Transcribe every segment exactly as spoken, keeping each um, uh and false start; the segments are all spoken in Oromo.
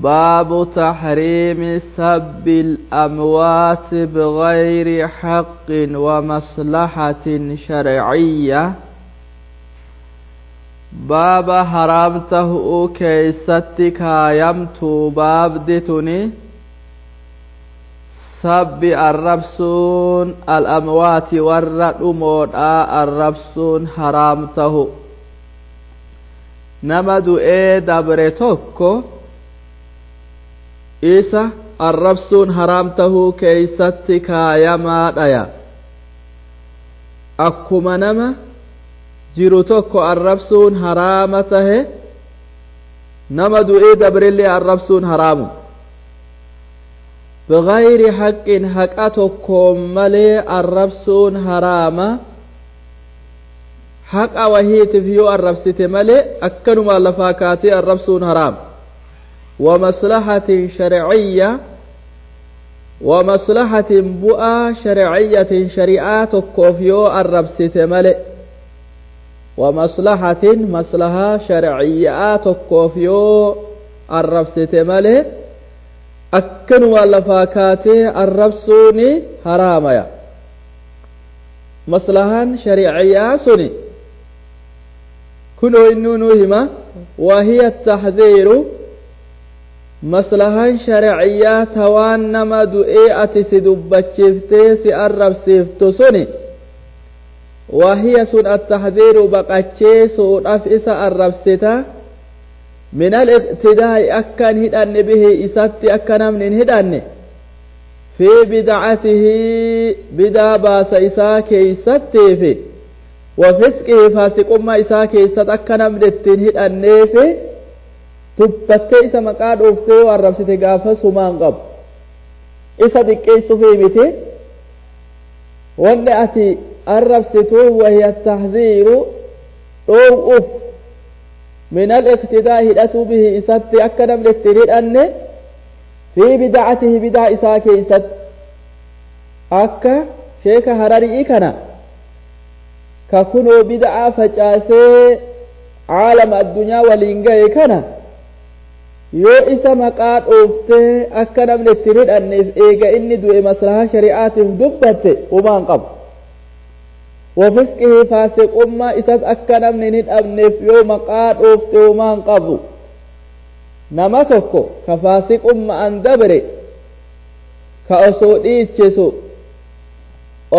باب تحريم سب الأموات بغير حق ومصلحة شرعية. باب حرامته كيستي كايمت باب دتني سب الربسون الأموات والرأمود الربسون حرامته نما du'ee dabre tokko isa arrabsuun haraam tahuu keeysatti kaayamaa dhaya. Akkuma nama jiru tokko arrabsuun haraama tahe, nama du'ee dabrillee arrabsuun haraamu. Bigayri haqqin, haqa tokkoon malee arrabsuun haraama. Haqa wahiitiif yoo arrabsite malee akkanuma lafaa kaatee arrabsuun haraam. ومصلحة شرعية، ومصلحة بؤى شرعية، شريعة كوفيو الربسة ملئ، ومصلحة مصلحة شرعية كوفيو الربسة ملئ أكنوا لفاكاتي الربسوني حراميا. مصلحة شرعية سني كنوا إنو وهي التحذير. Maslahaan sharciyyaa tawaan nama du'ee ati si dubbachiiftee si arrabsiiftu suni, wahiya sun attaxdiiru, baqacheesuudhaf isa arrabsita, min aliqtidaa'i, akka hin hidhanne, bihi isatti akka namni hin hidhanne, fi bidcatihi, bidaa baasa isaa keeysattiifi, wa fisqihi, faasiqummaa isaa keeysat akka namni ittiin hidhanneefi dubbattee isa maqaa dhooftee yoo arrabsite gaafa sumaan qabu. Isa xiqqeessuufii miti wanni ati arrabsitu. Wahiya taxdiiru, dhoow'uuf, min aliqtidaa, hidhatuu, bihi isatti akka namni ittiin hidhanne, fi bidacatihi, bidaa isaa keeysatti. Akka sheeka Hararii kana ka kunoo bidacaa facaasee caalama addunyaa waliin gahe kana yoo isa maqaa dhooftee akka namni ittiin hidhanneef eega inni du'e maslahaa shari'aatiif dubbatte humaan qabu. Wafisqihi, faasiqummaa isas akka namni hin hidhamneef yoo maqaa dhoofte humaan qabu. Nama tokko ka faasiqummaan dabre, ka osoo dhiichisu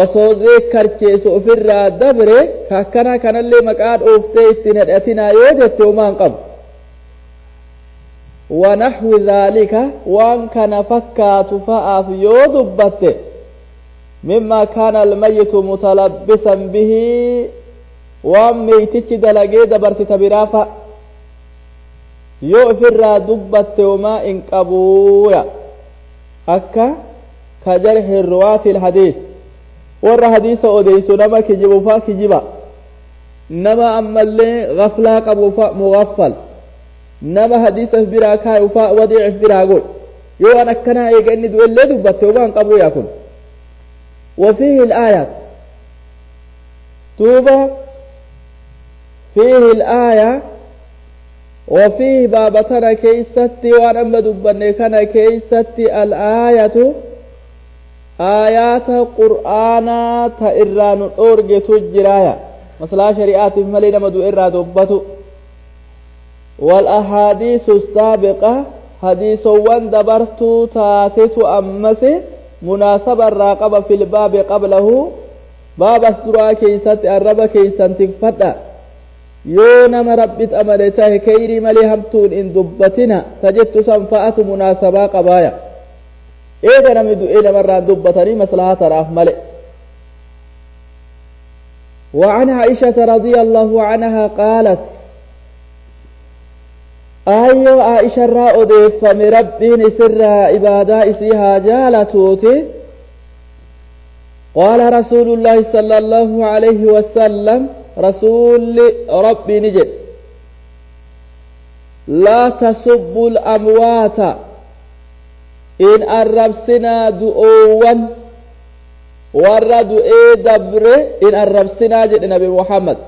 osoo zeekkarcheesu ofirraa dabre, ka akkana kanallee maqaa dhooftee ittiin hidhatinaa yoo jette humaan qabu. ونحو ذلك، وان كان فكات فأف يودبت، مما كان الميت متلبسا به، وان ميتش دلقي دبرت تبرافا يؤفر دبت وما إن قبويا. أكا كجرح الرواة الحديث، ور حديث أوديس، نما كجبفا كجبا، نما أما اللي غفلا قبوفا مغفل، nama hadiisa biraa kaayu faa wadiicif biraa godh, yoo an akkanaa eega inni du'ellee dubbatte waan qabu yaa kun. وفيه الآية توبة فيه الآية وفيه بابتنا كيستي وأن أما دبني كان كيستي الآية، آيات قرآن تإران أورج تجرايا مثلا شريعات ملينا مدو إرى دبتو، والأحاديث السابقة، حديث وان دبرت تاتت أمس مناسبة الراقبة في الباب قبله، باب أسدرا كيست الرب كيسان تكفتا yoo nama Rabbit amane tahe kayrii malee hamtuun in dubbatina tajettu san fa'atu munaasabaa qabaaya. Eega namni du'ee namarraan dubbatanii maslahaa tanaaf male. وعن عائشة رضي الله عنها قالت، آيو عائشة را أديفم ربين سر عبادة إسيها جالتوتي، قال رسول الله صلى الله عليه وسلم، رسول ربي نجد: لا تسبوا الأموات، إن الربسنا دؤوا warra du'ee dabre in arrabsinaa jedhe Nabi Muhammad.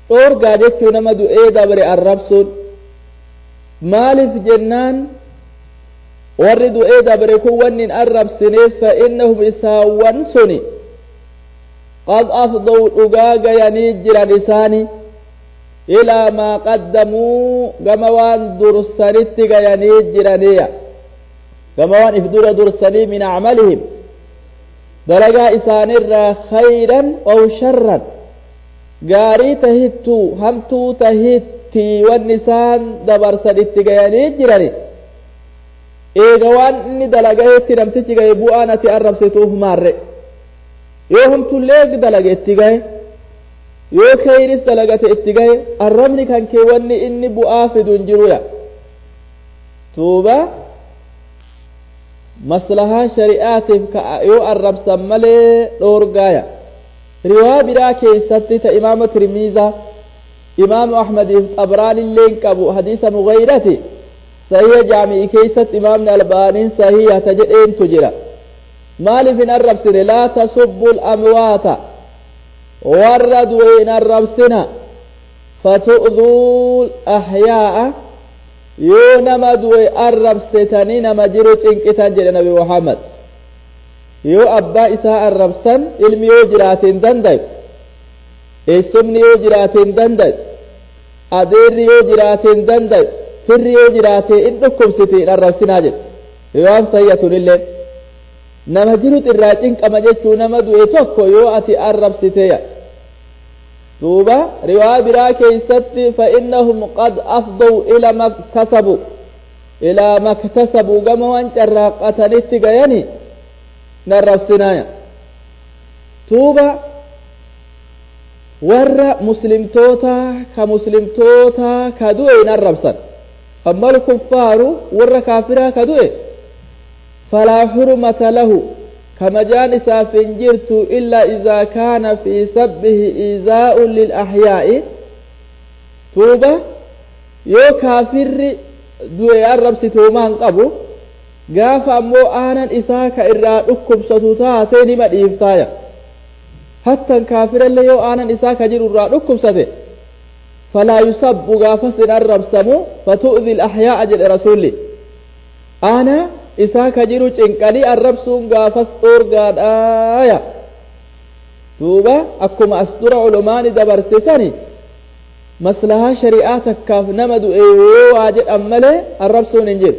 Dhoorgaa jechuu nama du'ee dabre arrabsuun. Maaliif jennaan warri du'ee dabre kun wanni hin arrabsineef fa'innahum isaawwan suni qad afdaw dhugaa gayanii jiran isaani ilaa maa qaddamuu gama waan dursanitti gayanii jiraniya gama waan if dura dursanii min acmalihim dalagaa isaanirraa khayran aw sharran gaarii tahittuu hamtuu tahitti wanni isaan dabarsan itti gayanii jirani eega waan inni dalagaetti namtichi gaye bu'aan ati arrabsituuf maarre yoo hamtullee dalage itti gaye yoo khayris dalagate itti gaye arrabni kan kee wanni inni bu'aa fidu hin jiruya tuuba maslahaa shari'aatiif yoo arrabsan malee dhoorgaaya riwaa biraa keessatti ta imaama tirmiizaa imaamu ahmadiif xabraanillee hin qabu hadiisa mugayrati sahiha jaami'i keessatti imaamni albaaniin sahiha ta jedheentu jira maaliif hin arrabsine laa tasubbu lamwaata warra du'e hin arrabsina fatu'duu ahyaa'a yoo nama du'e arrabsitanii nama jiru cinqitan jedhe nabi muhammad yoo abbaa isaa arrabsan ilmi yoo jiraate hin dandayu eessumni yoo jiraate hin dandayu adeerri yoo jiraate hin dandayu firri yoo jiraate in dhukkubsite hin arrabsinaa jedhe riwaan sayyatunillee nama jiru irraa cinqama jechuu nama du'e tokko yoo ati arrabsiteya duuba riwaa biraa keeysatti fa'innahum qad afdaw ila maktasabu ilaa maktasabu gama waan carraaqatanitti gayani narrabsinaaya tuuba warra muslimtoota ka muslimtoota ka du'e hin arrabsan amma alkuffaaru warra kaafiraa ka du'e falaa xurmata lahu kamajaan isaaf hin jirtu illaa idaa kaana fii sabbihi iizaa'un lilaxyaa'i tuuba yoo kaafirri du'e arrabsituumaa hin qabu gaafa ammoo aanan isaa ka irraa dhukkubsatu taate nima dhiiftaaya hattan kaafirallee yoo aanan isaa ka jiru irraa dhukkubsate falaa yusabbu gaafas hin arrabsamu fatu'dhi alaxyaa'a jedhe rasulli aana isaa ka jiru cinqanii arrabsuun gaafas dhoorgaadhaaya duuba akkuma as dura ulumaani dabarsisani maslahaa shari'aa takkaaf nama du'e yoo waa jedhan malee arrabsuun hin jiru.